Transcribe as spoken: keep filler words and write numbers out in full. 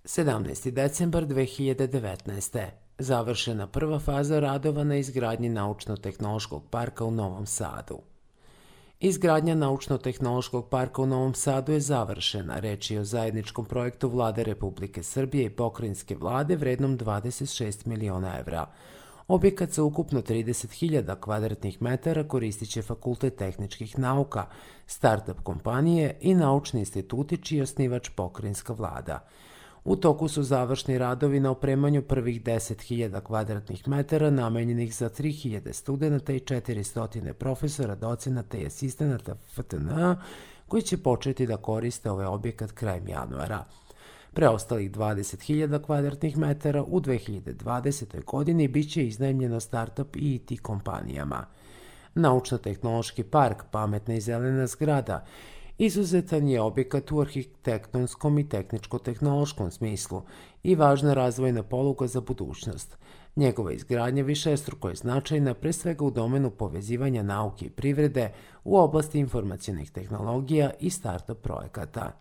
sedamnaesti decembar dve hiljade devetnaeste. Završena prva faza radova na izgradnji Naučno-tehnološkog parka u Novom Sadu. Izgradnja Naučno-tehnološkog parka u Novom Sadu je završena. Reč je o zajedničkom projektu Vlade Republike Srbije i pokrajinske vlade vrednom dvadeset šest miliona evra. Objekat sa ukupno trideset hiljada kvadratnih metara koristit će Fakultet tehničkih nauka, start-up kompanije i naučni instituti čiji je osnivač pokrajinska vlada. U toku su završni radovi na opremanju prvih deset hiljada kvadratnih metara namenjenih za tri hiljade studenta i četiristo profesora, docenata i asistenata F T N A koji će početi da koriste ovaj objekat krajem januara. Preostalih dvadeset hiljada kvadratnih metara u dve hiljade dvadesetoj. godini bit će iznajmljeno start-up i I T kompanijama. Naučno-tehnološki park, pametna i zelena zgrada, izuzetan je objekat u arhitektonskom i tehničko-tehnološkom smislu i važna razvojna poluga za budućnost. Njegova izgradnja višestruko je značajna pre svega u domenu povezivanja nauke i privrede u oblasti informacionih tehnologija i start-up projekata.